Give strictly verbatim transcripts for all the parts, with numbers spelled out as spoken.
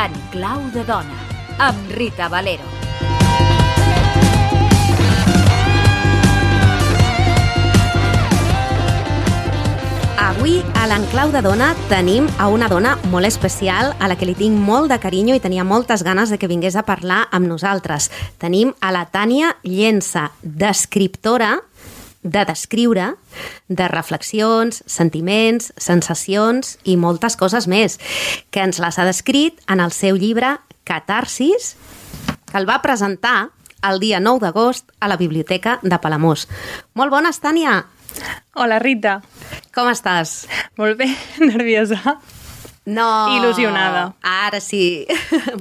En clau de dona, amb Rita Valero. Avui, a l'Enclau de Dona, tenim a una dona molt especial, a la que li tinc molt de carinyo i tenia moltes ganes de que vingués a parlar amb nosaltres. Tenim a la Tània Llensa, descriptora, de descriure, de reflexions, sentiments, sensacions i moltes coses més, que ens les ha descrit en el seu llibre Catarsis, que el va presentar el dia nou d'agost a la Biblioteca de Palamós. Molt bones, Tània! Hola, Rita. Com estàs? Molt bé, nerviosa. No. Il·lusionada. Ara sí.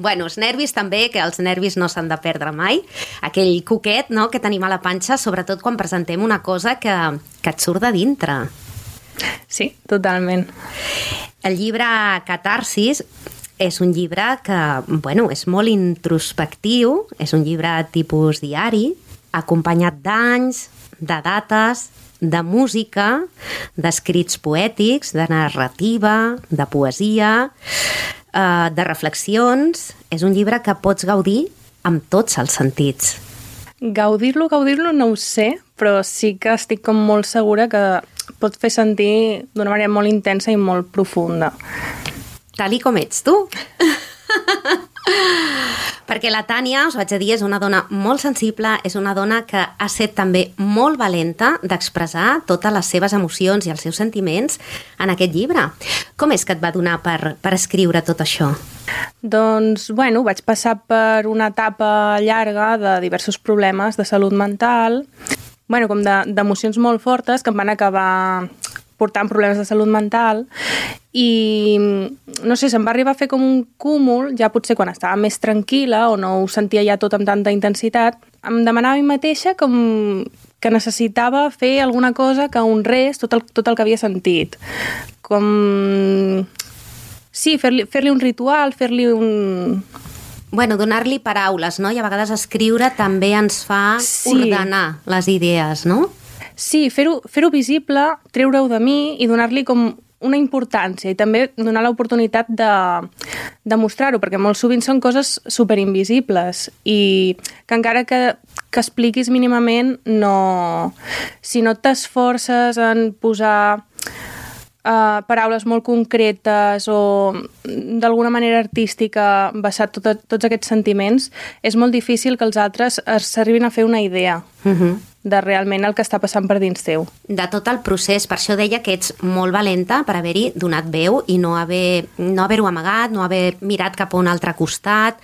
Bueno, els nervis també, que els nervis no s'han de perdre mai. Aquell coquet, no?, que tenim a la panxa, sobretot quan presentem una cosa que, que et surt de dintre. Sí, totalment. El llibre Catarsis és un llibre que, bueno, és molt introspectiu, és un llibre tipus diari, acompanyat d'anys, de dates, de música, d'escrits poètics, de narrativa, de poesia, eh, de reflexions. És un llibre que pots gaudir amb tots els sentits. Gaudir-lo, gaudir-lo no ho sé, però sí que estic com molt segura que pot fer sentir d'una manera molt intensa i molt profunda. Tal i com ets tu. Perquè la Tània, us vaig a dir, és una dona molt sensible, és una dona que ha set també molt valenta d'expressar totes les seves emocions i els seus sentiments en aquest llibre. Com és que et va donar per, per escriure tot això? Doncs, bueno, vaig passar per una etapa llarga de diversos problemes de salut mental, bueno, com de, d'emocions molt fortes que em van acabar portant problemes de salut mental i, no sé, se'm va arribar a fer com un cúmul, ja potser quan estava més tranquil·la o no ho sentia ja tot amb tanta intensitat, em demanava a mi mateixa com que necessitava fer alguna cosa que honrés tot el, tot el que havia sentit. Com... Sí, fer-li, fer-li un ritual, fer-li un... Bueno, donar-li paraules, no? I a vegades escriure també ens fa sí. ordenar les idees, no? Sí, fer-ho fer-ho visible, treure-ho de mi i donar-li com una importància i també donar l'oportunitat de, de mostrar-ho, perquè molt sovint són coses superinvisibles i que encara que, que expliquis mínimament, no, si no t'esforces en posar uh, paraules molt concretes o d'alguna manera artística basar tot, tots aquests sentiments, és molt difícil que els altres s'arribin a fer una idea. Uh-huh. De realment el que està passant per dins teu. De tot el procés, per això deia que ets molt valenta per haver-hi donat veu i no haver, no haver-ho amagat, no haver mirat cap a un altre costat,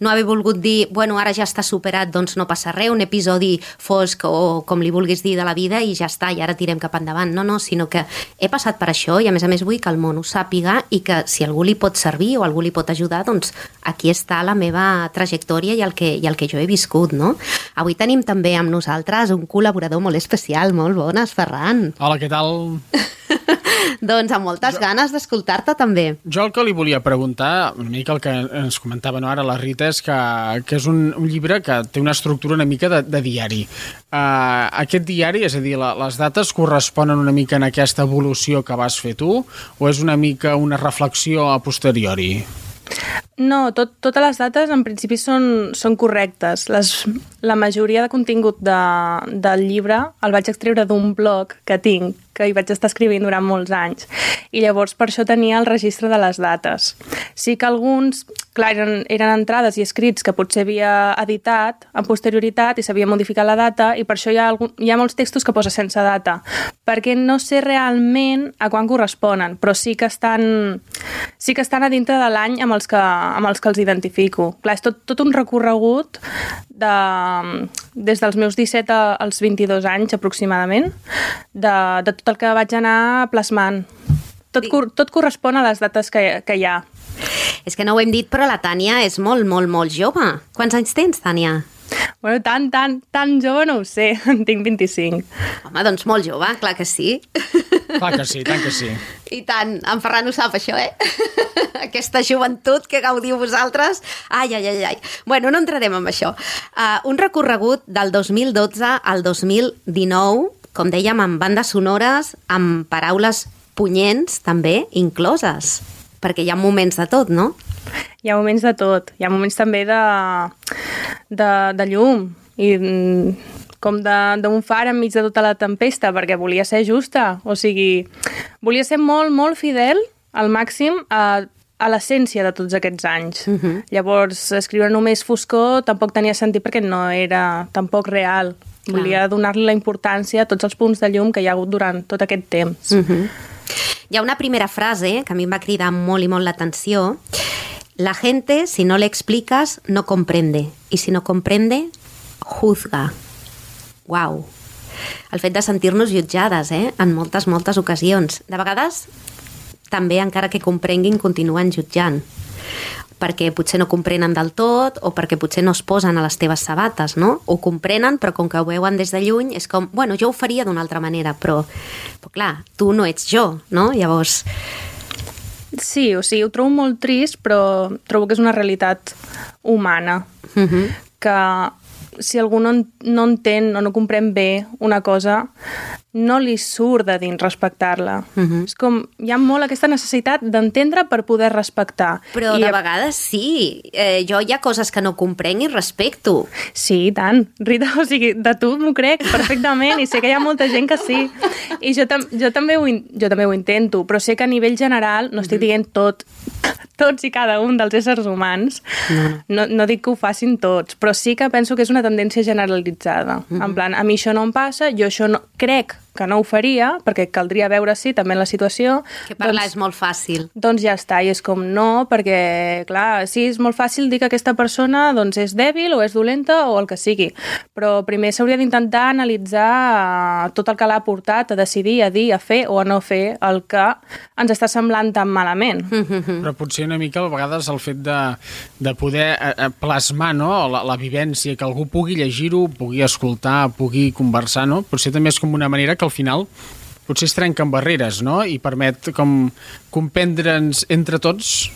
no haver volgut dir, bueno, ara ja està superat, doncs no passa res, un episodi fosc o com li vulguis dir de la vida i ja està, i ara tirem cap endavant. No, no, sinó que he passat per això i a més a més vull que el món ho sàpiga i que si algú li pot servir o algú li pot ajudar, doncs aquí està la meva trajectòria i el que, i el que jo he viscut, no? Avui tenim també amb nosaltres un col·laborador molt especial. Molt bones, Ferran. Hola, què tal? Doncs amb moltes jo, ganes d'escoltar-te també. Jo el que li volia preguntar, una mica el que ens comentava no, ara la Rita, és que, que és un, un llibre que té una estructura una mica de, de diari. Uh, aquest diari, és a dir, la, les dates corresponen una mica en aquesta evolució que vas fer tu o és una mica una reflexió a posteriori? No, tot, totes les dates en principi són, són correctes. Les, la majoria de contingut de, del llibre el vaig extreure d'un blog que tinc, que hi vaig estar escrivint durant molts anys. I llavors per això tenia el registre de les dates. Sí que alguns, clar, eren, eren entrades i escrits que potser havia editat amb posterioritat i s'havia modificat la data i per això hi ha, algun, hi ha molts textos que posa sense data, perquè no sé realment a quan corresponen, però sí que estan, sí que estan a dintre de l'any amb els que, amb els que els identifico. Clar, és tot, tot un recorregut de, des dels meus disset als vint-i-dos anys aproximadament, de, de tot el que vaig anar plasmant. Tot, tot correspon a les dates que, que hi ha. És que no ho hem dit, però la Tània és molt, molt, molt jove. Quants anys tens, Tània? Bueno, tan, tan, tan jove no ho sé, en tinc vint-i-cinc. Home, doncs molt jove, clar que sí. Clar que sí, tant que sí. I tant, en Ferran ho sap això, eh? Aquesta joventut que gaudiu vosaltres. Ai, ai, ai, ai. Bueno, no entrarem en això. Uh, un recorregut del dos mil dotze al dos mil dinou, com dèiem, amb bandes sonores, amb paraules punyents, també, incloses. Perquè hi ha moments de tot, no? Hi ha moments de tot. Hi ha moments també de, de, de llum i com d'un far enmig de tota la tempesta, perquè volia ser justa. O sigui, volia ser molt, molt fidel al màxim a, a l'essència de tots aquests anys. Uh-huh. Llavors, escriure només foscor tampoc tenia sentit perquè no era tampoc real. Clar. Volia donar-li la importància a tots els punts de llum que hi ha hagut durant tot aquest temps. Uh-huh. Hi ha una primera frase que a mi em va cridar molt i molt l'atenció. La gente, si no le explicas, no comprende. Y si no comprende, juzga. Uau. El fet de sentir-nos jutjades, eh? En moltes, moltes ocasions. De vegades, també, encara que comprenguin, continuen jutjant. Perquè potser no comprenen del tot o perquè potser no es posen a les teves sabates, no? Ho comprenen, però com que ho veuen des de lluny, és com, bueno, jo ho faria d'una altra manera, però, però clar, tu no ets jo, no? Llavors... Sí, o sigui, ho trobo molt trist, però trobo que és una realitat humana. Uh-huh. Que si algú no, no entén o no comprèn bé una cosa, no li surt de dins respectar-la. Uh-huh. És com, hi ha molt aquesta necessitat d'entendre per poder respectar. Però I de a... vegades sí. Eh, jo hi ha coses que no comprenc i respecto. Sí, tant. Rita, o sigui, de tu m'ho crec perfectament i sé que hi ha molta gent que sí. I jo, tam jo, també, ho jo també ho intento, però sé que a nivell general no estic dient tot, tots i cada un dels éssers humans. No, no, no dic que ho facin tots, però sí que penso que és una tendència generalitzada. Uh-huh. En plan, a mi això no em passa, jo això no... crec que no ho faria, perquè caldria veure si també en la situació... Que parlar doncs, és molt fàcil. Doncs ja està, i és com no, perquè, clar, sí, és molt fàcil dir que aquesta persona doncs, és dèbil o és dolenta o el que sigui, però primer s'hauria d'intentar analitzar tot el que l'ha portat a decidir, a dir, a fer o a no fer el que ens està semblant tan malament. Però potser una mica, a vegades, el fet de, de poder plasmar, no?, la, la vivència, que algú pugui llegir-ho, pugui escoltar, pugui conversar, no? Potser també és com una manera que al final potser es trenquen barreres, no? I permet com comprendre'ns entre tots.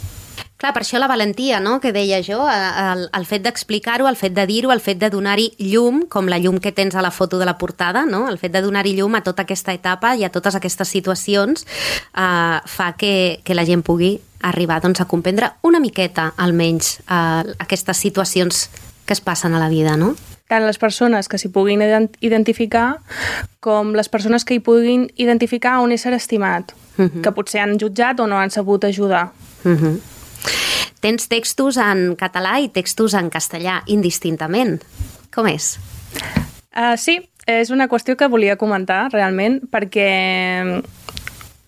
Clar, per això la valentia, no?, que deia jo, el, el fet d'explicar-ho, el fet de dir-ho, el fet de donar-hi llum, com la llum que tens a la foto de la portada, no?, el fet de donar-hi llum a tota aquesta etapa i a totes aquestes situacions eh, fa que, que la gent pugui arribar doncs, a comprendre una miqueta, almenys, eh, aquestes situacions que es passen a la vida, no? Tant les persones que s'hi puguin identificar com les persones que hi puguin identificar un ésser estimat, uh-huh. que potser han jutjat o no han sabut ajudar. Uh-huh. Tens textos en català i textos en castellà, indistintament. Com és? Uh, sí, és una qüestió que volia comentar, realment, perquè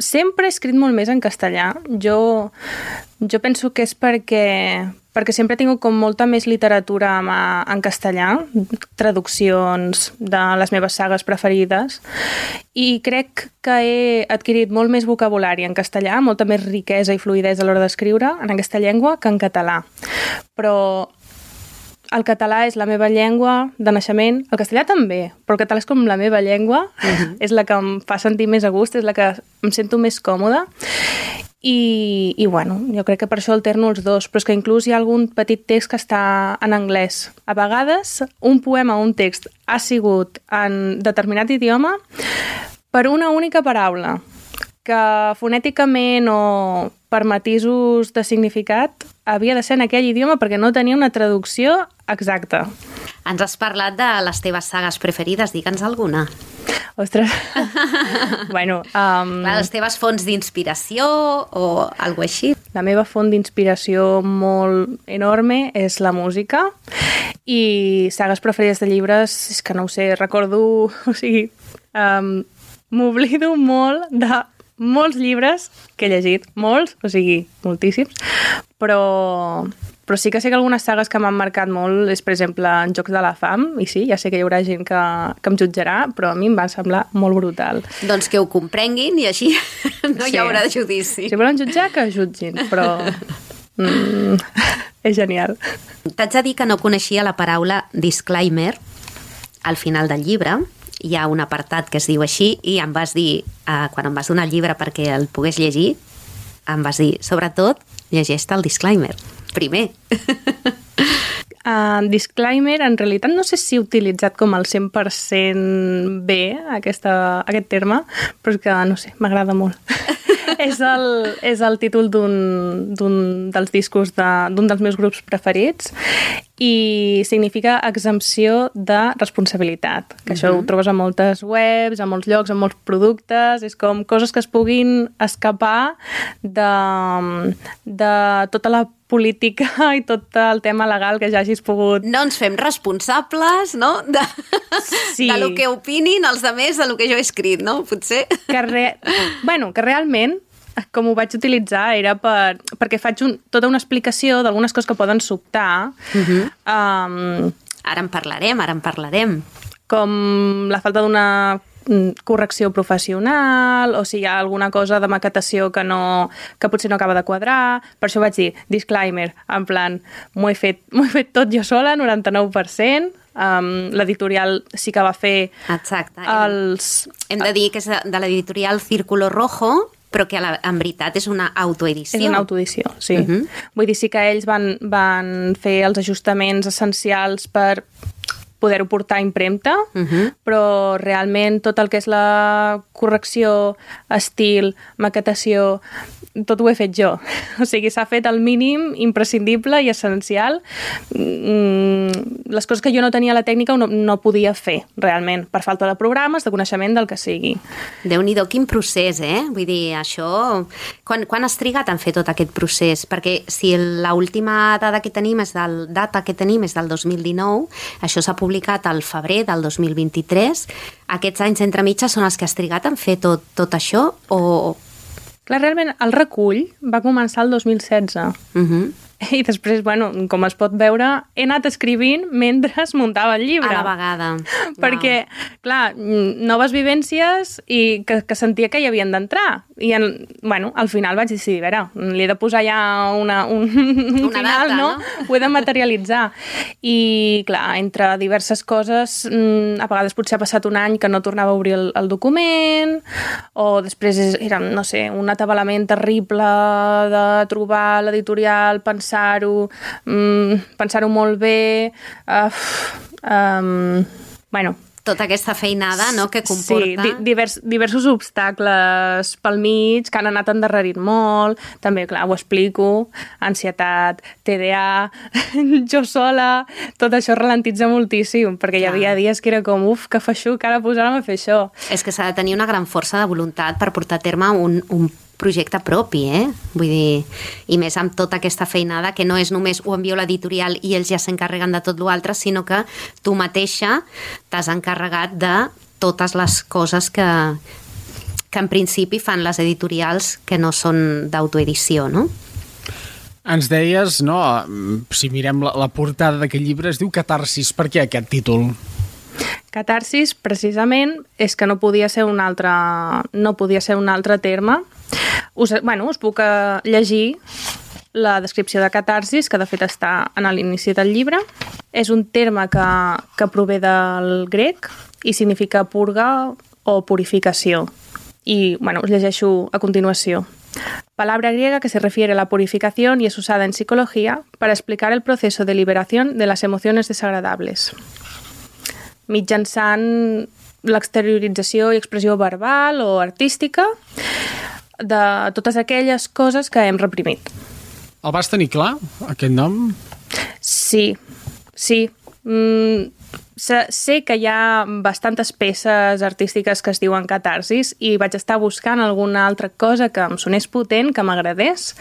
sempre he escrit molt més en castellà. Jo, jo penso que és perquè... perquè sempre he tingut com molta més literatura en, en castellà, traduccions de les meves sagues preferides, i crec que he adquirit molt més vocabulari en castellà, molta més riquesa i fluïdesa a l'hora d'escriure en aquesta llengua que en català. Però el català és la meva llengua de naixement, el castellà també, però el català és com la meva llengua, uh-huh. és la que em fa sentir més a gust, és la que em sento més còmoda. I, i bueno, jo crec que per això alterno els dos, però és que inclús hi ha algun petit text que està en anglès. A vegades, un poema o un text ha sigut en determinat idioma per una única paraula, que fonèticament o per matisos de significat havia de ser en aquell idioma perquè no tenia una traducció exacta. Ens has parlat de les teves sagues preferides, digue'ns alguna. Ostres. bueno, um... Clar, les teves fonts d'inspiració o alguna així. La meva font d'inspiració molt enorme és la música i sagues preferides de llibres, és que no ho sé, recordo, o sigui, um, m'oblido molt de molts llibres que he llegit, molts, o sigui, moltíssims, però, però sí que sé que algunes sagues que m'han marcat molt és, per exemple, en Jocs de la Fam, i sí, ja sé que hi haurà gent que, que em jutjarà, però a mi em va semblar molt brutal. Doncs que ho comprenguin i així no sí. hi haurà judici. Si volen jutjar, que jutgin, però... Mm, és genial. T'haig de dir que no coneixia la paraula disclaimer al final del llibre. Hi ha un apartat que es diu així i em vas dir, eh, quan em vas donar el llibre perquè el pogués llegir, em vas dir, sobretot, llegeix-te el disclaimer. Primer. Uh, disclaimer, en realitat no sé si he utilitzat com el cent per cent bé aquesta, aquest terme, però és que, no sé, m'agrada molt. és, el, és el títol d'un dels discos d'un de, dels meus grups preferits i significa exempció de responsabilitat, que uh-huh. això ho trobes a moltes webs, a molts llocs, a molts productes, és com coses que es puguin escapar de, de tota la política i tot el tema legal que ja hagis pogut... No ens fem responsables, no?, de, sí. de lo que opinin els altres de lo que jo he escrit, no?, potser. Que, re... bueno, que realment, com ho vaig utilitzar, era per... perquè faig un... tota una explicació d'algunes coses que poden sobtar. Uh-huh. um... Ara en parlarem, ara en parlarem. Com la falta d'una correcció professional, o si hi ha alguna cosa de maquetació que, no, que potser no acaba de quadrar. Per això vaig dir, disclaimer, en plan, m'ho he fet, m'ho he fet tot jo sola, noranta-nou per cent. Um, l'editorial sí que va fer Exacte. els... Hem de dir que és de l'editorial Círculo Rojo, però que la, en veritat és una autoedició. És una autoedició, sí. Uh-huh. Vull dir, sí que ells van, van fer els ajustaments essencials per poder-ho portar a impremta, uh-huh. però realment tot el que és la correcció, estil, maquetació, tot ho he fet jo. O sigui, s'ha fet el mínim imprescindible i essencial. Les coses que jo no tenia la tècnica no, no podia fer, realment, per falta de programes, de coneixement del que sigui. Déu-n'hi-do, quin procés, eh? Vull dir, això... Quan, quan has trigat en fer tot aquest procés? Perquè si l'última data que tenim és del, data que tenim és del dos mil dinou, això s'ha publicat al febrer del dos mil vint-i-tres, aquests anys entre mitges són els que has trigat en fer tot, tot això o... Clar, realment, el recull va començar el dos mil setze. Uh-huh. I després, bueno, com es pot veure, he anat escrivint mentre es muntava el llibre. A la vegada. Perquè, wow. clar, noves vivències i que, que sentia que hi havien d'entrar. I, en, bueno, al final vaig decidir, a veure, li he de posar ja una, un, un una final, data, no? no? Ho he de materialitzar. I, clar, entre diverses coses, a vegades potser ha passat un any que no tornava a obrir el, el document, o després era, no sé, un atabalament terrible de trobar l'editorial, pensar-ho, mm, pensar-ho molt bé, uh, um, bueno... Tota aquesta feinada, no?, que comporta... Sí, divers, diversos obstacles pel mig que han anat endarrerint molt. També, clar, ho explico, ansietat, T D A, jo sola, tot això ralentitza moltíssim, perquè clar. Hi havia dies que era com, uf, que feixuc, ara posar-me a fer això. És que s'ha de tenir una gran força de voluntat per portar a terme un, un projecte propi, eh? Vull dir, i més amb tota aquesta feinada, que no és només ho envio a l'editorial i ells ja s'encarreguen de tot l'altre, sinó que tu mateixa t'has encarregat de totes les coses que, que en principi fan les editorials que no són d'autoedició, no? Ens deies, no, si mirem la, la portada d'aquest llibre, es diu Catarsis. Per què aquest títol? Catarsis, precisament, és que no podia ser un altre, no podia ser un altre terme. Us, bueno, us puc llegir la descripció de catarsis, que de fet està en l'inici del llibre. És un terme que, que prové del grec i significa purga o purificació. Y bueno, os llegeixo a continuación. Palabra griega que se refiere a la purificación y es usada en psicología para explicar el proceso de liberación de las emociones desagradables. Mitjançant l'exteriorització i expressió verbal o artística de totes aquelles coses que hem reprimit. El vas tenir clar, aquest nom? Sí, sí. Mm, sé que hi ha bastantes peces artístiques que es diuen catarsis i vaig estar buscant alguna altra cosa que em sonés potent, que m'agradés,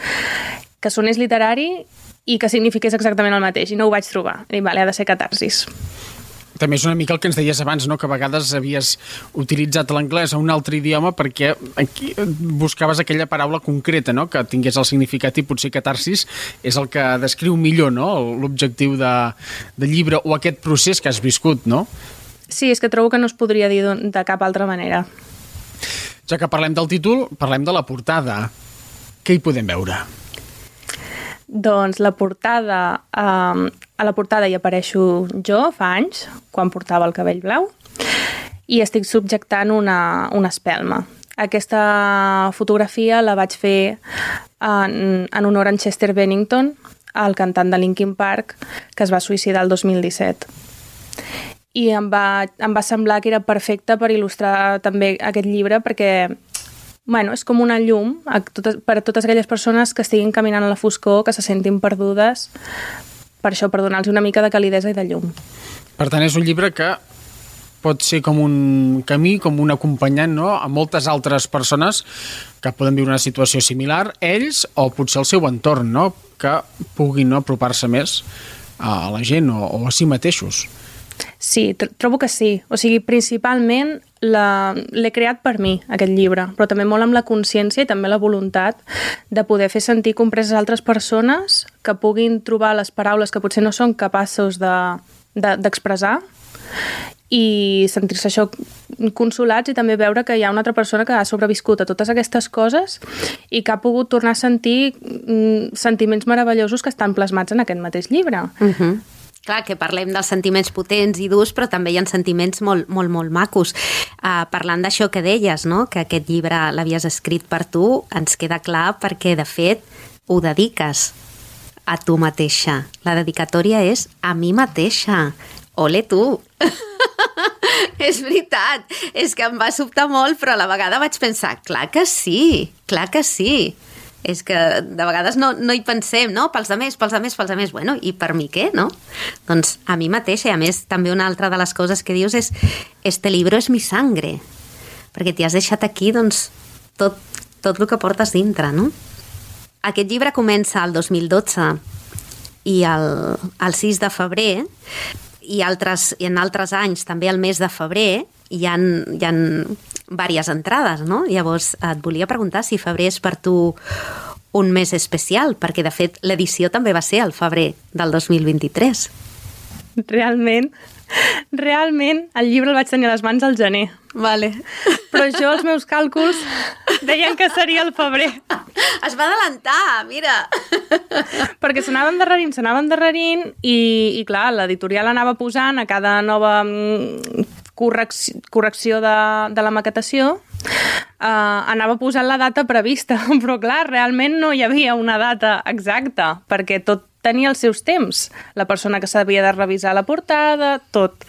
que sonés literari i que signifiqués exactament el mateix, i no ho vaig trobar. I vale, ha de ser catarsis. També és una mica el que ens deies abans, no? Que a vegades havies utilitzat l'anglès a un altre idioma perquè aquí buscaves aquella paraula concreta, no? Que tingués el significat, i potser catarsis és el que descriu millor, no? L'objectiu de, de llibre o aquest procés que has viscut, no? Sí, és que trobo que no es podria dir de cap altra manera. Ja que parlem del títol, parlem de la portada. Què hi podem veure? Doncs la portada, eh, a la portada hi apareixo jo fa anys, quan portava el cabell blau, i estic subjectant una, una espelma. Aquesta fotografia la vaig fer en, en honor a Chester Bennington, el cantant de Linkin Park, que es va suïcidar el dos mil disset. I em va, em va semblar que era perfecte per il·lustrar també aquest llibre, perquè bueno, és com una llum a totes, per a totes aquelles persones que estiguin caminant a la foscor, que se sentin perdudes, per això, per donar-los una mica de calidesa i de llum. Per tant, és un llibre que pot ser com un camí, com un acompanyant, no?, a moltes altres persones que poden viure una situació similar, ells o potser el seu entorn, no?, que puguin, no?, apropar-se més a la gent o, o a si mateixos. Sí, tr trobo que sí. O sigui, principalment l'he creat per mi, aquest llibre, però també molt amb la consciència i també la voluntat de poder fer sentir compreses altres persones que puguin trobar les paraules que potser no són capaços d'expressar de, de, i sentir-se això consolats i també veure que hi ha una altra persona que ha sobreviscut a totes aquestes coses i que ha pogut tornar a sentir mm, sentiments meravellosos que estan plasmats en aquest mateix llibre. Uh-huh. Clar, que parlem dels sentiments potents i durs, però també hi ha sentiments molt, molt, molt macos. Uh, parlant d'això que deies, no?, que aquest llibre l'havies escrit per tu, ens queda clar perquè, de fet, ho dediques a tu mateixa. La dedicatòria és a mi mateixa. Ole tu! És veritat, és que em va sobtar molt, però a la vegada vaig pensar, clar que sí, clar que sí. És que de vegades no, no hi pensem, no? Pels altres, pels altres, pels altres. Bueno, i per mi què, no? Doncs a mi mateixa, i a més també una altra de les coses que dius és este libro és mi sangre, perquè t'hi has deixat aquí, doncs, tot, tot el que portes dintre, no? Aquest llibre comença el dos mil dotze i el, el sis de febrer, i, altres, i en altres anys, també el mes de febrer, hi ha, hi ha diverses entrades, no? Llavors et volia preguntar si febrer és per tu un mes especial, perquè de fet l'edició també va ser al febrer del dos mil vint-i-tres. Realment, realment el llibre el vaig tenir a les mans al gener. Vale. Però jo, els meus càlculs, deien que seria el febrer. Es va adelantar, mira. Perquè s'anava endarrerint, s'anava endarrerint i, i clar, l'editorial anava posant a cada nova correcció, correcció de, de la maquetació, uh, anava posant la data prevista, però clar, realment no hi havia una data exacta, perquè tot tenia els seus temps. La persona que s'havia de revisar la portada, tot.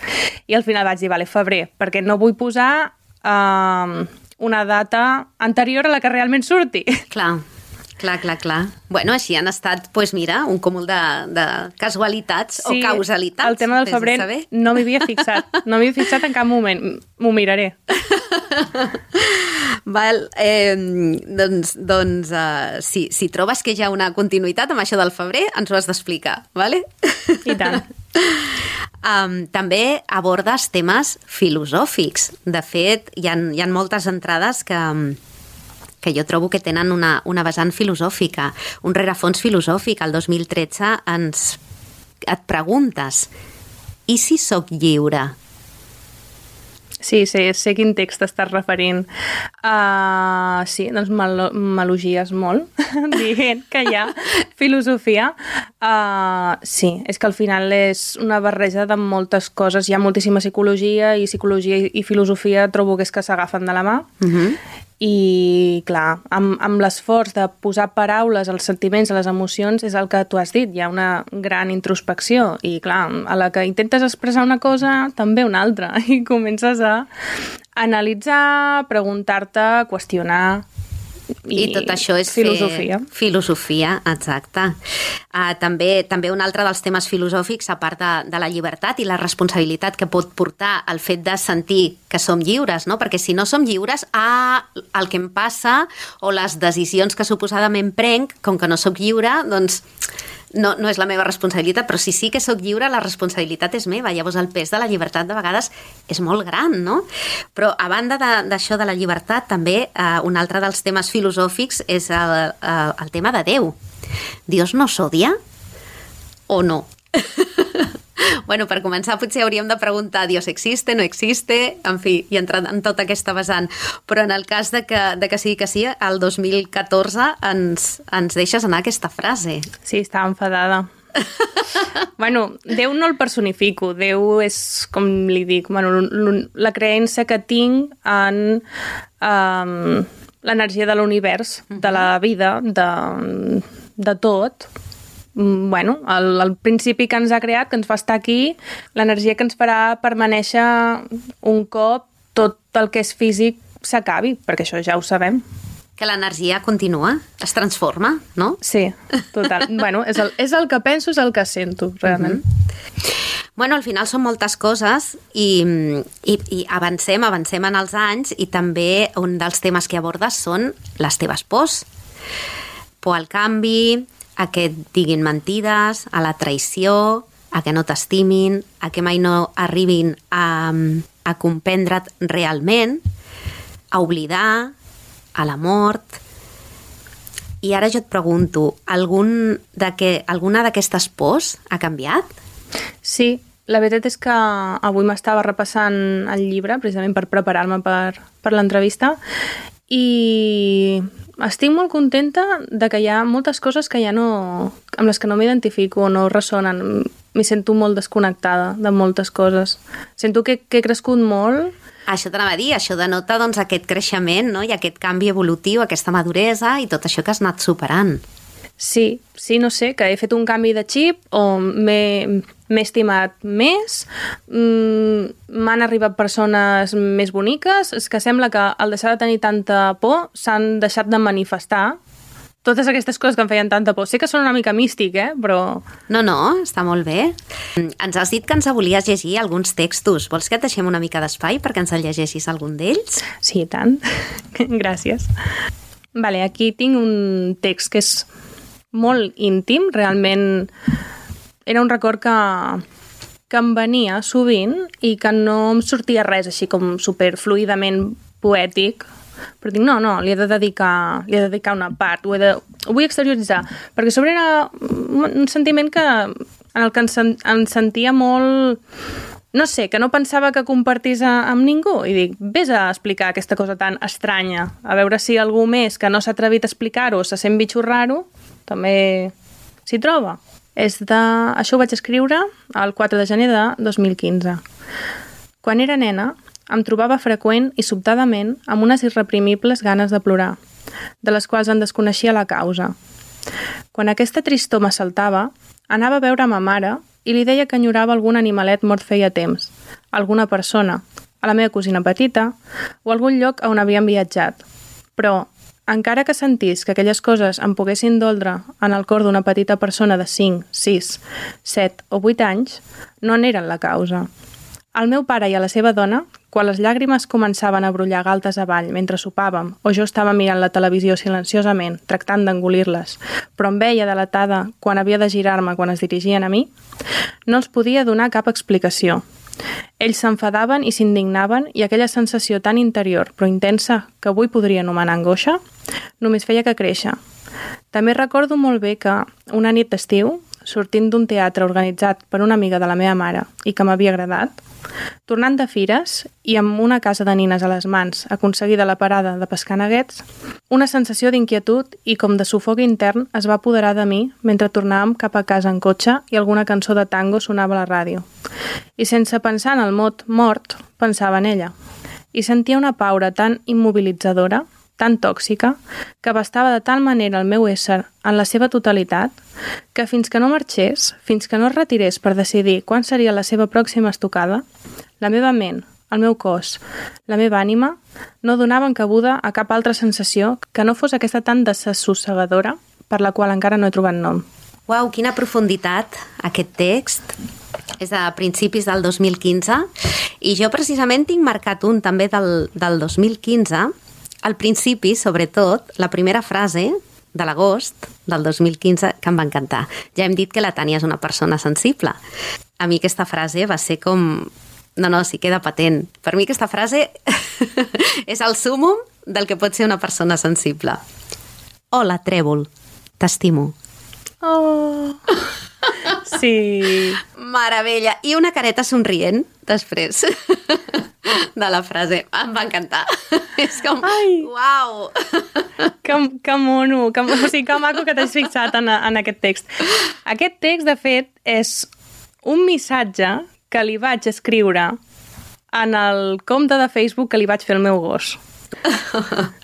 I al final vaig dir, vale, febrer, perquè no vull posar uh, una data anterior a la que realment surti. Clar, clar, clar, clar. Bueno, així han estat, doncs pues mira, un cúmul de, de casualitats sí, o causalitats. El tema del febrer de no m'hi havia fixat. No m'hi havia fixat en cap moment. M'ho miraré. Val, eh, doncs, doncs uh, si, si trobes que hi ha una continuïtat amb això del febrer, ens ho has d'explicar, vale? I tant. Um, també abordes temes filosòfics. De fet, hi ha, hi ha moltes entrades que, que jo trobo que tenen una, una vessant filosòfica, un rerefons filosòfic. El dos mil tretze ens, et preguntes, i si sóc lliure? Sí, sí, sé quin text t'estàs referint. Uh, sí, doncs m'elogies molt, dient que hi ha filosofia. Uh, sí, és que al final és una barreja de moltes coses. Hi ha moltíssima psicologia i psicologia i filosofia trobo que és que s'agafen de la mà. Uh-huh. I, clar, amb, amb l'esforç de posar paraules als sentiments, a les emocions, és el que tu has dit. Hi ha una gran introspecció i, clar, a la que intentes expressar una cosa, també una altra. I comences a analitzar, preguntar-te, qüestionar. I, I tot això és filosofia. Filosofia, exacte. Uh, també, també un altre dels temes filosòfics, a part de, de la llibertat i la responsabilitat que pot portar el fet de sentir que som lliures, no? Perquè si no som lliures, ah, el que em passa o les decisions que suposadament prenc, com que no sóc lliure, doncs no, no és la meva responsabilitat, però si sí que sóc lliure, la responsabilitat és meva. Llavors el pes de la llibertat de vegades és molt gran, no? Però a banda d'això de, de la llibertat, també eh, un altre dels temes filosòfics és el, el, el tema de Déu. Dios nos odia o no? Bueno, per començar, potser hauríem de preguntar Dios existe, no existe, en fi, i entrar en tota aquesta vessant. Però en el cas de que, de que sigui que sí, el dos mil catorze ens, ens deixes anar aquesta frase. Sí, estava enfadada. Bueno, Déu no el personifico, Déu és, com li dic, bueno, la creença que tinc en um, l'energia de l'univers, de la vida, de, de tot. Bueno, el, el principi que ens ha creat, que ens fa estar aquí, l'energia que ens farà permanèixer un cop tot el que és físic s'acabi, perquè això ja ho sabem. Que l'energia continua, es transforma, no? Sí, total. Bueno, és el, és el que penso, és el que sento, realment. Mm-hmm. Bueno, al final són moltes coses i, i, i avancem, avancem en els anys i també un dels temes que abordes són les teves pors. Por al canvi, a que et diguin mentides, a la traïció, a que no t'estimin, a que mai no arribin a, a comprendre't realment, a oblidar, a la mort. I ara jo et pregunto, algun de que, alguna d'aquestes pors ha canviat? Sí, la veritat és que avui m'estava repassant el llibre, precisament per preparar-me per, per l'entrevista, i estic molt contenta de que hi ha moltes coses que ja no, amb les que no m'identifico o no ressonen. M'hi sento molt desconnectada de moltes coses. Sento que, que he crescut molt. Això t'anava a dir, això denota doncs, aquest creixement, no? I aquest canvi evolutiu, aquesta maduresa i tot això que has anat superant. Sí, sí, no sé, que he fet un canvi de xip o m'he estimat més, m'han arribat persones més boniques, és que sembla que al deixar de tenir tanta por s'han deixat de manifestar totes aquestes coses que em feien tanta por. Sé que són una mica místic, eh? Però... No, no, està molt bé. Ens has dit que ens volies llegir alguns textos. Vols que et deixem una mica d'espai perquè ens el llegeixis algun d'ells? Sí, i tant. Gràcies. Vale, aquí tinc un text que és molt íntim, realment era un record que, que em venia sovint i que no em sortia res així com superfluidament poètic, però dic, no, no, li he de dedicar, li he de dedicar una part, ho, he de, ho vull exterioritzar, perquè sobre era un sentiment que, en el que em, em sentia molt, no sé, que no pensava que compartís a, amb ningú, i dic, vés a explicar aquesta cosa tan estranya, a veure si algú més que no s'ha atrevit a explicar-ho, se sent bitxo raro, també s'hi troba. És de... Això ho vaig escriure el quatre de gener de dos mil quinze. Quan era nena, em trobava freqüent i sobtadament amb unes irreprimibles ganes de plorar, de les quals en desconeixia la causa. Quan aquesta tristor m'assaltava, anava a veure ma mare i li deia que enyorava algun animalet mort feia temps, alguna persona, a la meva cosina petita o algun lloc on havíem viatjat. Però, encara que sentís que aquelles coses em poguessin doldre en el cor d'una petita persona de cinc, sis, set o vuit anys, no n'eren la causa. Al meu pare i a la seva dona, quan les llàgrimes començaven a brollar galtes avall mentre sopàvem o jo estava mirant la televisió silenciosament, tractant d'engolir-les, però em veia delatada quan havia de girar-me quan es dirigien a mi, no els podia donar cap explicació. Ells s'enfadaven i s'indignaven i aquella sensació tan interior però intensa que avui podria anomenar angoixa només feia que créixer. També recordo molt bé que una nit d'estiu, sortint d'un teatre organitzat per una amiga de la meva mare i que m'havia agradat, tornant de fires i amb una casa de nines a les mans aconseguida la parada de pescar neguets, una sensació d'inquietud i com de sufoc intern es va apoderar de mi mentre tornàvem cap a casa en cotxe i alguna cançó de tango sonava a la ràdio. I sense pensar en el mot mort, pensava en ella. I sentia una paura tan immobilitzadora, tan tòxica, que abastava de tal manera el meu ésser en la seva totalitat, que fins que no marxés, fins que no es retirés per decidir quan seria la seva pròxima estocada, la meva ment, el meu cos, la meva ànima, no donaven cabuda a cap altra sensació que no fos aquesta tan desassossegadora per la qual encara no he trobat nom. Uau, quina profunditat aquest text. És de principis del dos mil quinze i jo precisament tinc marcat un també del, del dos mil quinze. Al principi, sobretot, la primera frase de l'agost del dos mil quinze que em va encantar. Ja hem dit que la Tània és una persona sensible. A mi aquesta frase va ser com... No, no, sí, queda patent. Per mi aquesta frase és el súmum del que pot ser una persona sensible. Hola, Trèvol, t'estimo. Oh... Sí. Meravella. I una careta somrient, després, de la frase. Em va encantar. És com, Ai. uau! Que, que mono, que, o sigui, que maco que t'has fixat en, en aquest text. Aquest text, de fet, és un missatge que li vaig escriure en el compte de Facebook que li vaig fer al meu gos.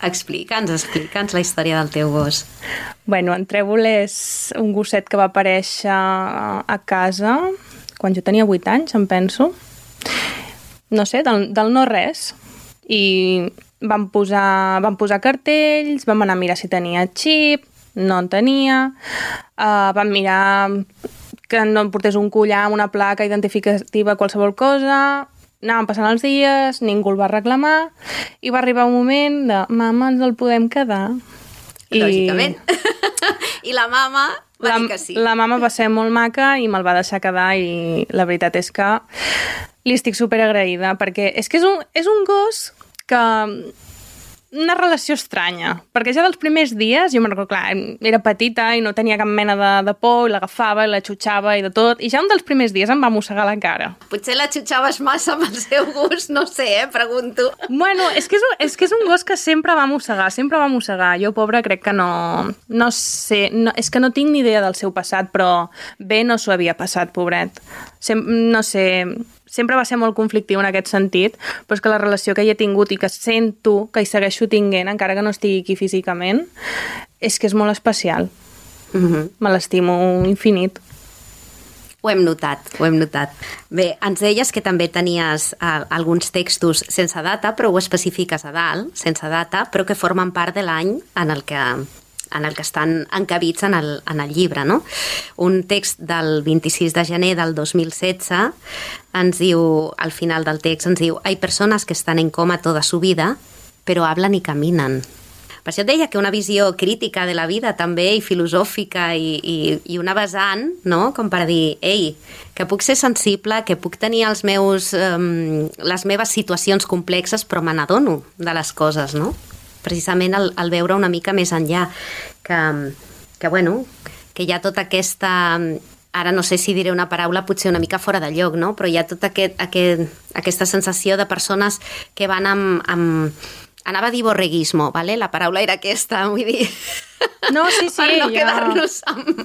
Explica'ns, explica'ns la història del teu gos. Bueno, en Trèvol és un gosset que va aparèixer a casa quan jo tenia vuit anys, em penso. No sé, del, del no res. I vam posar, vam posar cartells, vam anar a mirar si tenia xip, no en tenia, uh, vam mirar que no em portés un collar amb una placa identificativa, qualsevol cosa. Anàvem passant els dies, ningú el va reclamar, i va arribar un moment de mama, ens el podem quedar. Lògicament. I, I la mama va la, dir que sí. La mama va ser molt maca i me'l va deixar quedar, i la veritat és que li estic superagraïda, perquè és que és un, és un gos que... una relació estranya, perquè ja dels primers dies, jo me'n recordo, clar, era petita i no tenia cap mena de, de por, i l'agafava i la xutxava i de tot, i ja un dels primers dies em va mossegar la cara. Potser la xutxaves massa amb el seu gust, no sé, eh, pregunto. Bueno, és que és, un, és que és un gos que sempre va mossegar, sempre va mossegar. Jo, pobra, crec que no... No sé, no, és que no tinc ni idea del seu passat, però bé no s'ho havia passat, pobret. Sem, no sé... Sempre va ser molt conflictiu en aquest sentit, però és que la relació que hi he tingut i que sento que hi segueixo tinguent, encara que no estigui aquí físicament, és que és molt especial. Mm-hmm. Me l'estimo infinit. Ho hem notat, ho hem notat. Bé, ens deies que també tenies uh, alguns textos sense data, però ho especifiques a dalt, sense data, però que formen part de l'any en el que... en el que estan encabits en el, en el llibre, no? Un text del vint-i-sis de gener del dos mil setze ens diu, al final del text, ens diu «Hay personas que están en coma toda su vida, pero hablan y caminan». Per això et deia que una visió crítica de la vida també, i filosòfica, i, i, i una vessant, no? Com per dir, ei, que puc ser sensible, que puc tenir els meus, um, les meves situacions complexes, però me n'adono de les coses, no? Precisament el, el veure una mica més enllà, que, que, bueno, que hi ha tota aquesta... Ara no sé si diré una paraula potser una mica fora de lloc, no? Però hi ha tota aquest, aquest, aquesta sensació de persones que van amb... amb anava a dir borreguismo, ¿vale? La paraula era aquesta, vull dir... No, sí, sí, per no ja... quedar-nos amb...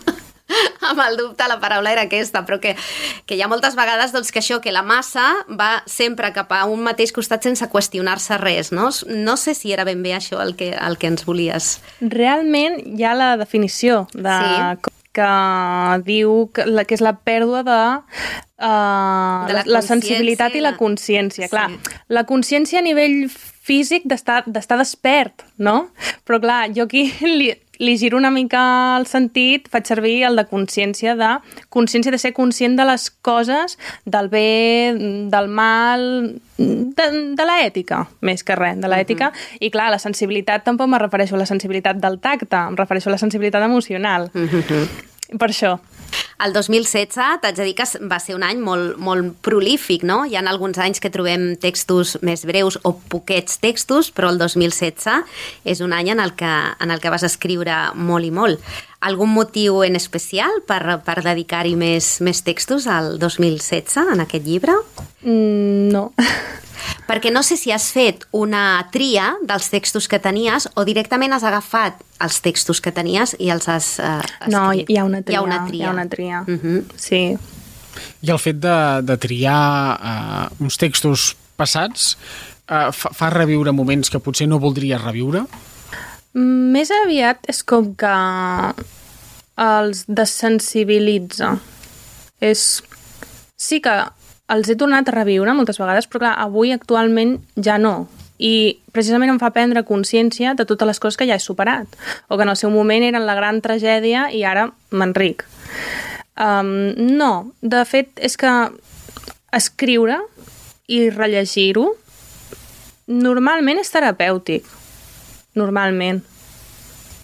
amb el dubte, la paraula era aquesta, però que, que hi ha moltes vegades doncs, que això, que la massa va sempre cap a un mateix costat sense qüestionar-se res, no? No sé si era ben bé això el que, el que ens volies. Realment hi ha la definició de... Sí. que diu que, la, que és la pèrdua de, uh, de la, la sensibilitat i la consciència. Sí. Clar, la consciència a nivell físic d'estar d'estar despert, no? Però clar, jo aquí li, li giro una mica el sentit, faig servir el de consciència, de consciència de ser conscient de les coses, del bé, del mal, de, de l'ètica, més que res, de l'ètica. Uh-huh. I clar, la sensibilitat tampoc me refereixo a la sensibilitat del tacte, em refereixo a la sensibilitat emocional. Uh-huh. Per això. El dos mil setze, t'haig de dir que va ser un any molt, molt prolífic, no? Hi ha alguns anys que trobem textos més breus o poquets textos, però el dos mil setze és un any en el que, en el que vas escriure molt i molt. Algun motiu en especial per, per dedicar-hi més, més textos al dos mil setze, en aquest llibre? Mm, no. Perquè no sé si has fet una tria dels textos que tenies o directament has agafat els textos que tenies i els has eh, escrit. No, hi ha una tria. Hi ha una tria. Hi ha una tria. Uh-huh. Sí. I el fet de, de triar uh, uns textos passats uh, fa, fa reviure moments que potser no voldries reviure? Més aviat és com que els desensibilitza. És... Sí que els he tornat a reviure moltes vegades, però clar, avui actualment ja no. I precisament em fa prendre consciència de totes les coses que ja he superat, o que en el seu moment eren la gran tragèdia i ara m'enric. Um, no, de fet, és que escriure i rellegir-ho normalment és terapèutic. Normalment.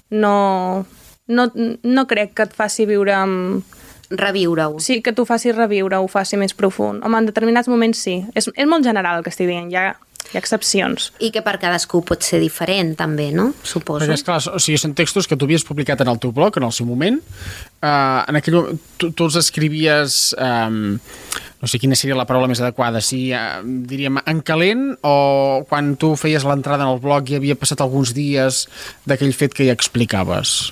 No, no, no crec que et faci viure amb... Reviure-ho. Sí, que t'ho faci reviure, ho faci més profund. Home, en determinats moments sí. És, és molt general el que estic dient. Hi ha, Hi ha excepcions. I que per cadascú pot ser diferent, també, no? Suposo. Perquè, esclar, o sigui, són textos que tu havies publicat en el teu blog, en el seu moment. Uh, en aquell moment, tu, tu els escrivies... Um, no sé quina seria la paraula més adequada, si uh, diríem en calent, o quan tu feies l'entrada en el blog i havia passat alguns dies d'aquell fet que ja explicaves?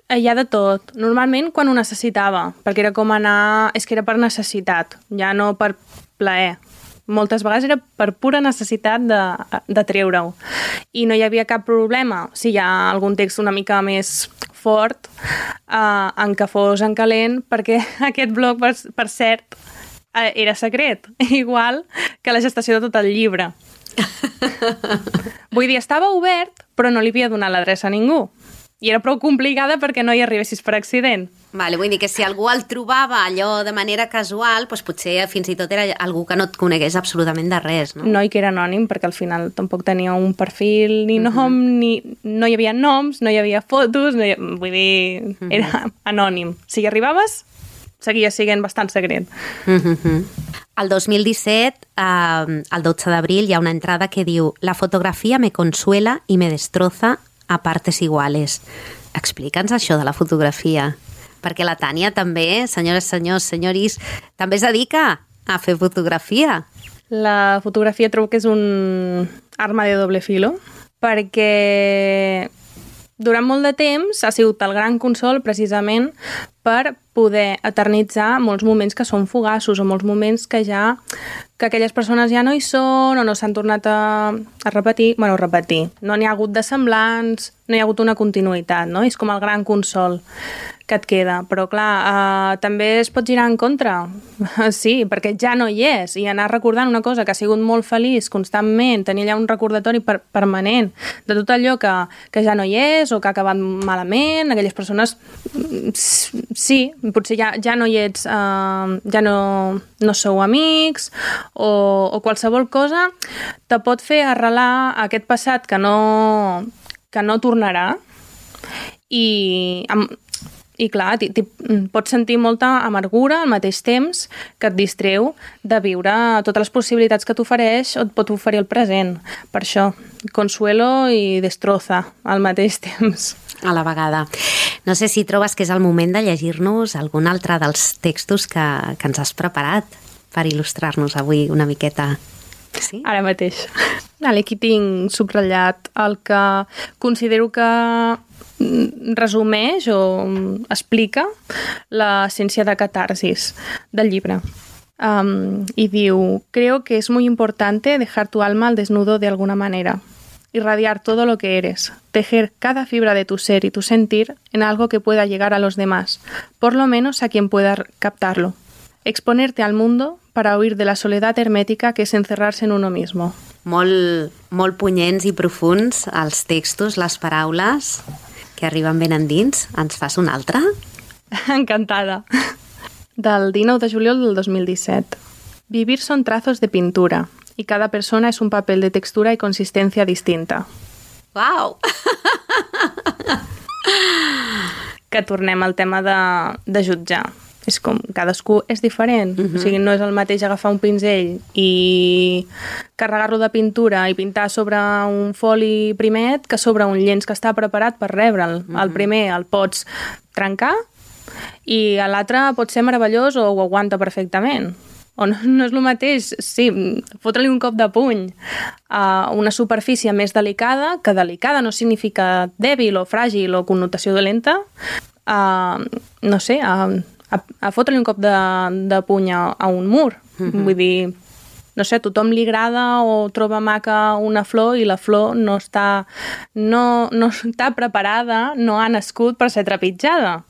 Hi ha de tot. Normalment quan ho necessitava, perquè era com anar... És que era per necessitat, ja no per plaer. Moltes vegades era per pura necessitat de, de treure-ho. I no hi havia cap problema si hi ha algun text una mica més fort eh, en què fos en calent, perquè aquest blog, per, per cert, eh, era secret, igual que la gestació de tot el llibre. Vull dir, estava obert, però no li havia donat l'adreça a ningú. I era prou complicada perquè no hi arribessis per accident. Vale, vull dir que si algú el trobava allò de manera casual, doncs potser fins i tot era algú que no et conegués absolutament de res, no? No, i que era anònim, perquè al final tampoc tenia un perfil ni nom, uh -huh. ni... no hi havia noms, no hi havia fotos, no hi... vull dir, era uh -huh. anònim. Si hi arribaves, seguia sent bastant secret. Uh -huh. El dos mil disset, eh, el dotze d'abril, hi ha una entrada que diu «La fotografia me consuela y me destroza a partes iguales». Explica'ns això de la fotografia, perquè la Tània també, senyores, senyors, senyoris, també es dedica a fer fotografia. La fotografia trobo que és un arma de doble filo, perquè durant molt de temps ha sigut el gran consol precisament per poder eternitzar molts moments que són fugaços o molts moments que ja que aquelles persones ja no hi són o no s'han tornat a, a repetir, bueno, repetir. No n'hi ha hagut de semblants, no hi ha hagut una continuïtat, no? És com el gran consol que et queda. Però, clar, eh, també es pot girar en contra. Sí, perquè ja no hi és. I anar recordant una cosa que ha sigut molt feliç constantment, tenir allà un recordatori per, permanent de tot allò que, que ja no hi és o que ha acabat malament, aquelles persones... Sí, potser ja, ja no hi ets, eh, ja no, no sou amics o, o qualsevol cosa te pot fer arrelar aquest passat que no, que no tornarà i, amb, i clar, t- t- pots sentir molta amargura al mateix temps que et distreu de viure totes les possibilitats que t'ofereix o et pot oferir el present. Per això, consuelo i destroza al mateix temps. A la vegada. No sé si trobes que és el moment de llegir-nos algun altre dels textos que, que ens has preparat per il·lustrar-nos avui una miqueta. Sí? Ara mateix. Vale, aquí tinc subratllat el que considero que resumeix o explica l'essència de catarsis del llibre. Um, y diu, creo que es muy importante dejar tu alma al desnudo de alguna manera. Irradiar todo lo que eres, tejer cada fibra de tu ser y tu sentir en algo que pueda llegar a los demás, por lo menos a quien pueda captarlo. Exponerte al mundo para huir de la soledad hermética que es encerrarse en uno mismo. Molt, molt punyents i profuns els textos, les paraules que arriben ben endins. Ens fas un altre? Encantada. Del dinou de juliol del dos mil disset. Vivir son trazos de pintura y cada persona es un papel de textura y consistencia distinta. Uau! Que tornem al tema de, de jutjar. És com, cadascú és diferent. Uh-huh. O sigui, no és el mateix agafar un pinzell i carregar-lo de pintura i pintar sobre un foli primet que sobre un llenç que està preparat per rebre'l. Uh-huh. El primer el pots trencar i l'altre pot ser meravellós o ho aguanta perfectament. O no, no és el mateix, sí, fotre-li un cop de puny a una superfície més delicada, que delicada no significa dèbil o fràgil o connotació dolenta, a, no sé, a, a, a fotre-li un cop de, de puny a, a un mur. Uh-huh. Vull dir, no sé, a tothom li agrada o troba maca una flor i la flor no està, no, no està preparada, no ha nascut per ser trepitjada.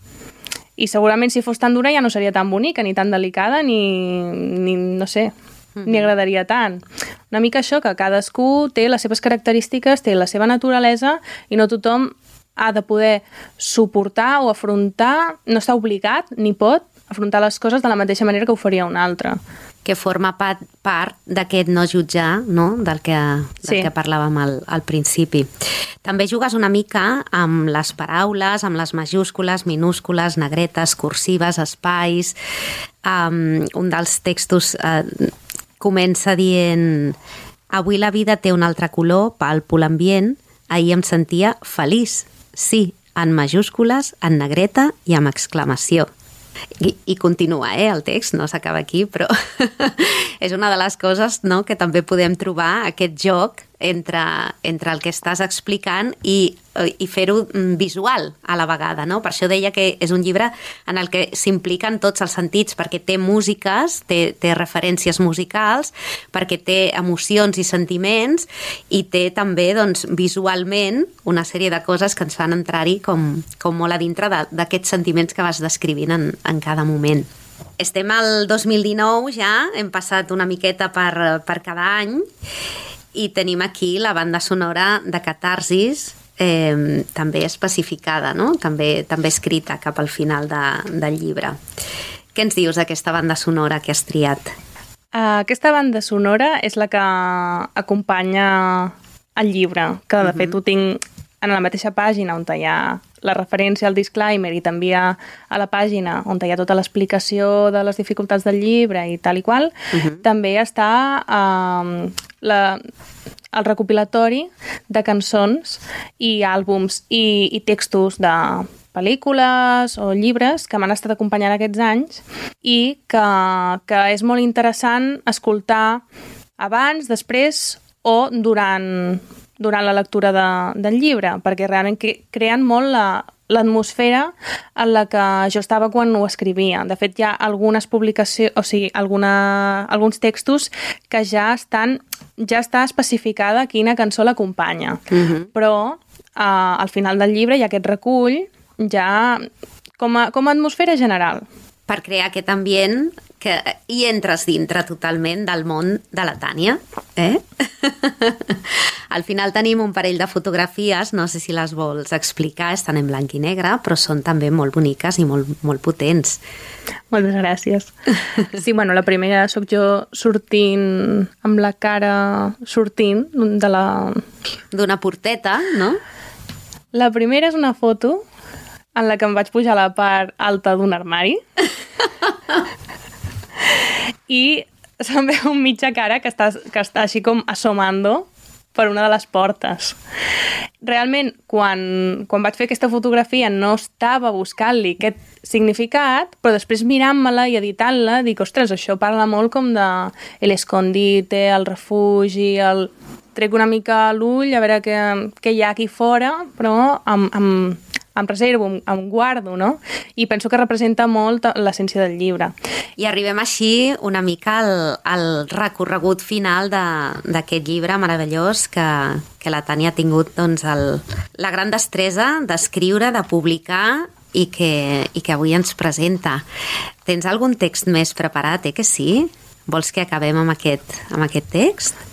I segurament si fos tan dura ja no seria tan bonica, ni tan delicada, ni, ni no sé, mm-hmm. ni agradaria tant. Una mica això, que cadascú té les seves característiques, té la seva naturalesa, i no tothom ha de poder suportar o afrontar, no està obligat ni pot afrontar les coses de la mateixa manera que ho faria un altre. Que forma part, part d'aquest no jutjar, no? Del que, del sí. que parlàvem al, al principi. També jugues una mica amb les paraules, amb les majúscules, minúscules, negretes, cursives, espais. Um, un dels textos uh, comença dient Avui la vida té un altre color, palpo l'ambient. Ahir em sentia feliç, sí, en majúscules, en negreta i amb exclamació. I, i continua, eh, el text, no s'acaba aquí, però és una de les coses, no?, que també podem trobar, aquest joc entre, entre el que estàs explicant i, i fer-ho visual a la vegada, no? Per això deia que és un llibre en el que s'impliquen tots els sentits, perquè té músiques, té, té referències musicals, perquè té emocions i sentiments, i té també, doncs, visualment una sèrie de coses que ens fan entrar-hi com, com molt a dintre d'aquests sentiments que vas descrivint en, en cada moment. Estem al dos mil dinou ja, hem passat una miqueta per, per cada any, i tenim aquí la banda sonora de Catarsis, eh, també especificada, no? també, també escrita cap al final de, del llibre. Què ens dius d'aquesta banda sonora que has triat? Uh, aquesta banda sonora és la que acompanya el llibre, que de uh-huh. fet ho tinc en la mateixa pàgina on hi ha la referència al disclaimer i també a, a la pàgina on hi ha tota l'explicació de les dificultats del llibre i tal i qual, uh-huh. també està uh, la, el recopilatori de cançons i àlbums i, i textos de pel·lícules o llibres que m'han estat acompanyant aquests anys i que, que és molt interessant escoltar abans, després o durant... durant la lectura de, del llibre, perquè realment creen molt la, l'atmosfera en la que jo estava quan ho escrivia. De fet, hi ha algunes publicacions, o sigui, alguna, alguns textos que ja estan, ja està especificada quina cançó l'acompanya. Uh-huh. Però eh, al final del llibre hi ha aquest recull ja com a, com a atmosfera general. Per crear aquest ambient que hi entres dintre totalment del món de la Tània, eh? Al final tenim un parell de fotografies, no sé si les vols explicar, estan en blanc i negre, però són també molt boniques i molt, molt potents. Moltes gràcies. Sí, bueno, la primera sóc jo sortint, amb la cara sortint de la... d'una porteta, no? La primera és una foto en la que em vaig pujar a la part alta d'un armari i se'm veu mitja cara que està, que està així com assomando per una de les portes. Realment, quan, quan vaig fer aquesta fotografia no estava buscant-li aquest significat, però després mirant-me-la i editant-la dic, ostres, això parla molt com de l'escondite, el refugi, el... trec una mica l'ull a veure què, què hi ha aquí fora, però amb, amb, em reservo, em guardo, no? I penso que representa molt l'essència del llibre. I arribem així una mica al, al recorregut final d'aquest llibre meravellós que, que la Tània ha tingut, doncs, el, la gran destresa d'escriure, de publicar i que, i que avui ens presenta. Tens algun text més preparat, eh, que sí? Vols que acabem amb aquest, amb aquest text?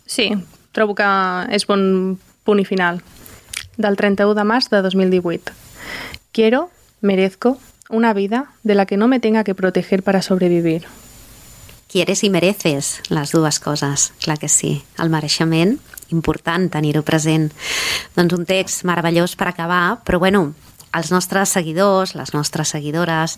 Sí, trobo que és bon punt i final. Del trenta-u de març de dos mil divuit. Quiero, merezco, una vida de la que no me tenga que proteger para sobrevivir. Quieres i mereces, les dues coses, clar que sí. El mereixement, important tenir-ho present. Doncs un text meravellós per acabar, però bueno, els nostres seguidors, les nostres seguidores,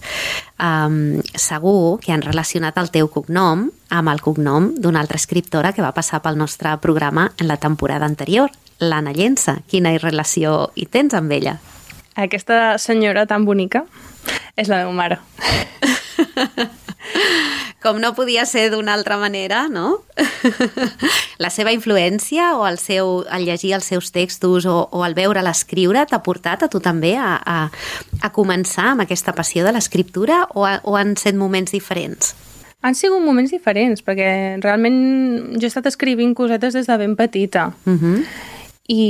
um, segur que han relacionat el teu cognom amb el cognom d'una altra escriptora que va passar pel nostre programa en la temporada anterior, l'Anna Llença. Quina relació hi tens amb ella? Aquesta senyora tan bonica és la meva mare. Com no podia ser d'una altra manera, no? La seva influència o el seu, el llegir els seus textos o, o el veure l'escriure t'ha portat a tu també a, a, a començar amb aquesta passió de l'escriptura o, a, o han set moments diferents? Han sigut moments diferents, perquè realment jo he estat escrivint cosetes des de ben petita. Uh-huh. I,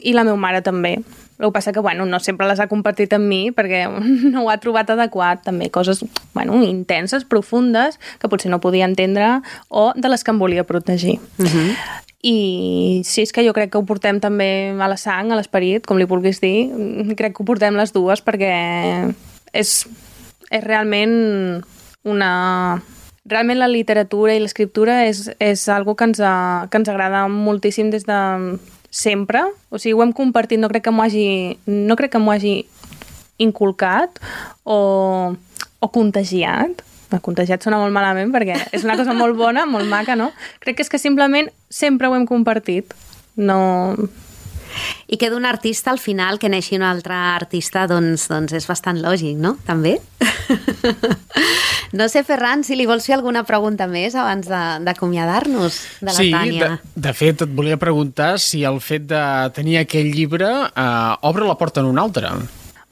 i la meva mare també. El que passa que, bueno, no sempre les ha compartit amb mi perquè no ho ha trobat adequat. També coses, bueno, intenses, profundes, que potser no podia entendre o de les que em volia protegir. Uh-huh. I sí, és que jo crec que ho portem també a la sang, a l'esperit, com li vulguis dir. Crec que ho portem les dues perquè és, és realment una... Realment la literatura i l'escriptura és, és algo que ens, ha, que ens agrada moltíssim des de... sempre, o sigui, ho hem compartit, no crec que m'ho hagi, no crec que m'ho hagi inculcat o, o contagiat, contagiat sona molt malament perquè és una cosa molt bona, molt maca, no? Crec que és que simplement sempre ho hem compartit. No... I que d'un artista al final que neixi un altre artista doncs, doncs és bastant lògic, no? També? No sé, Ferran, si li vols fer alguna pregunta més abans d'acomiadar-nos de la sí, Tània. Sí, de, de fet et volia preguntar si el fet de tenir aquell llibre eh, obre la porta en un altre.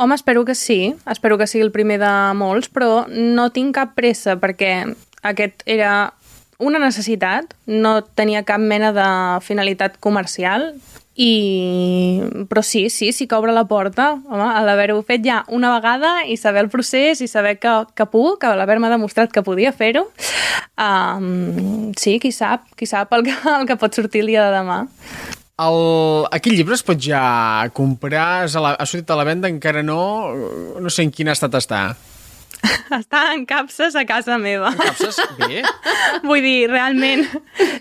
Home, espero que sí, espero que sigui el primer de molts, però no tinc cap pressa perquè aquest era una necessitat, no tenia cap mena de finalitat comercial. I... Però sí, sí, sí que obre la porta, home, a l'haver-ho fet ja una vegada i saber el procés i saber que, que puc, que l'haver-me demostrat que podia fer-ho. Um, sí, qui sap, qui sap el que, el que pot sortir el dia de demà. El, aquell llibre es pot ja comprar, la, ha sortit a la venda, encara no, no sé en quin estat està. Està en capses a casa meva. En capses? Bé. Vull dir, realment,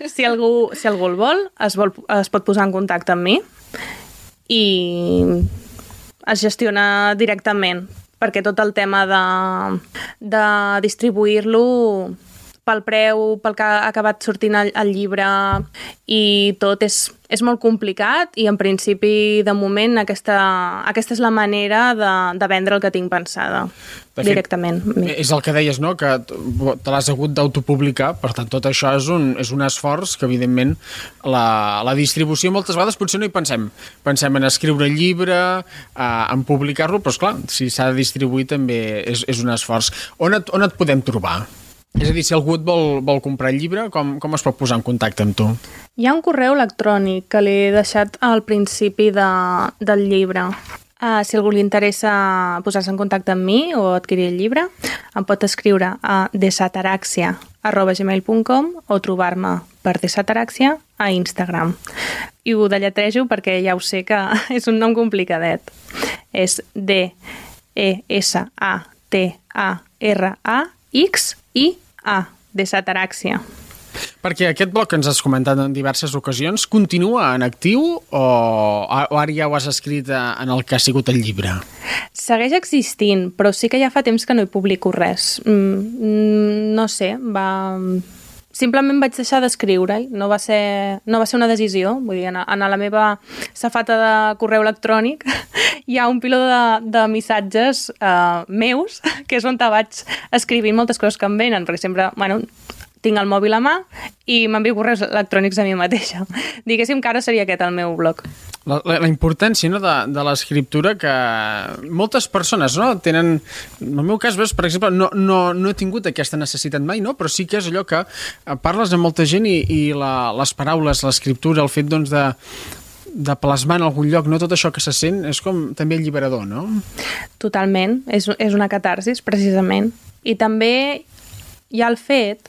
si algú, si algú el vol es, vol, es pot posar en contacte amb mi i es gestiona directament, perquè tot el tema de, de distribuir-lo pel preu, pel que ha acabat sortint el, el llibre i tot és, és molt complicat i en principi, de moment, aquesta, aquesta és la manera de, de vendre el que tinc pensada. De fet, directament. És el que deies, no?, que te l'has hagut d'autopublicar, per tant, tot això és un, és un esforç que, evidentment, la, la distribució moltes vegades potser no hi pensem. Pensem en escriure el llibre, eh, en publicar-lo, però, esclar, si s'ha de distribuir també és, és un esforç. On et, on et podem trobar? És a dir, si algú et vol, vol comprar el llibre, com, com es pot posar en contacte amb tu? Hi ha un correu electrònic que l'he deixat al principi de, del llibre. Uh, si algú li interessa posar-se en contacte amb mi o adquirir el llibre, em pot escriure a desataraxia arroba gmail punt com o trobar-me per desataraxia a Instagram. I ho delletrejo perquè ja ho sé que és un nom complicadet. És D E S A T A R A X I A, desataraxia. Perquè aquest blog que ens has comentat en diverses ocasions continua en actiu o, o ara ja ho has escrit en el que ha sigut el llibre? Segueix existint, però sí que ja fa temps que no hi publico res. Mm, no sé, va... Simplement vaig deixar d'escriure-hi, no va ser, no va ser una decisió. Vull dir, en, en la meva safata de correu electrònic hi ha un piló de, de missatges uh, meus, que és on te vaig escrivint moltes coses que em venen, perquè sempre, bueno, tinc el mòbil a mà i m'envio correus electrònics a mi mateixa. Diguéssim que ara seria aquest el meu blog. La, la, la importància, no, de, de l'escriptura que moltes persones, no, tenen... En el meu cas, veus, per exemple, no, no, no he tingut aquesta necessitat mai, no? Però sí que és allò que parles amb molta gent i, i la, les paraules, l'escriptura, el fet, doncs, de de plasmar en algun lloc, no? Tot això que se sent és com també alliberador, no? Totalment, és, és una catarsis, precisament. I també hi ha el fet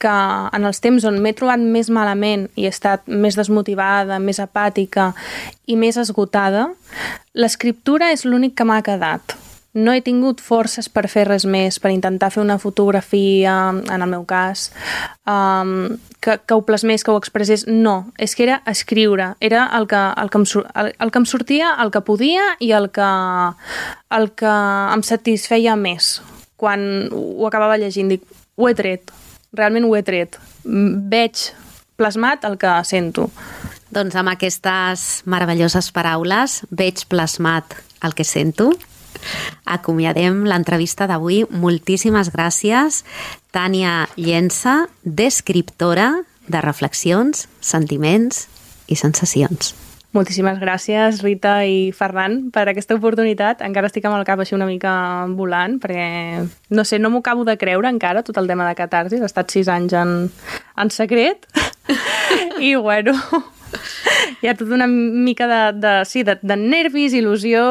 que en els temps on m'he trobat més malament i he estat més desmotivada, més apàtica i més esgotada, l'escriptura és l'únic que m'ha quedat. No he tingut forces per fer res més, per intentar fer una fotografia, en el meu cas, um, que, que ho plasmés, que ho expressés. No, és que era escriure. Era el que, el que, em, el, el que em sortia, el que podia i el que, el que em satisfeia més. Quan ho acabava llegint, dic, ho he tret, realment ho he tret. Veig plasmat el que sento. Doncs amb aquestes meravelloses paraules, veig plasmat el que sento. Acomiadem l'entrevista d'avui. Moltíssimes gràcies, Tània Llensa, descriptora de reflexions, sentiments i sensacions. Moltíssimes gràcies, Rita i Ferran, per aquesta oportunitat. Encara estic amb el cap així una mica volant, perquè, no sé, no m'ho acabo de creure encara, tot el tema de catarsis. He estat sis anys en, en secret. I, bueno... Hi ha tota una mica de, de, sí, de, de nervis, il·lusió,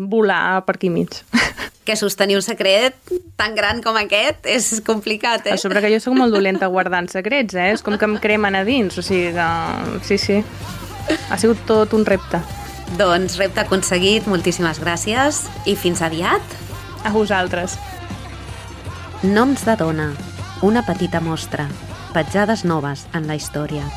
volar per aquí mig. Que sostenir un secret tan gran com aquest és complicat, eh? A sobre que jo soc molt dolenta guardant secrets, eh? És com que em cremen a dins, o sigui que... Sí, sí. Ha sigut tot un repte. Doncs repte aconseguit, moltíssimes gràcies i fins aviat. A vosaltres. Noms de dona, una petita mostra, petjades noves en la història.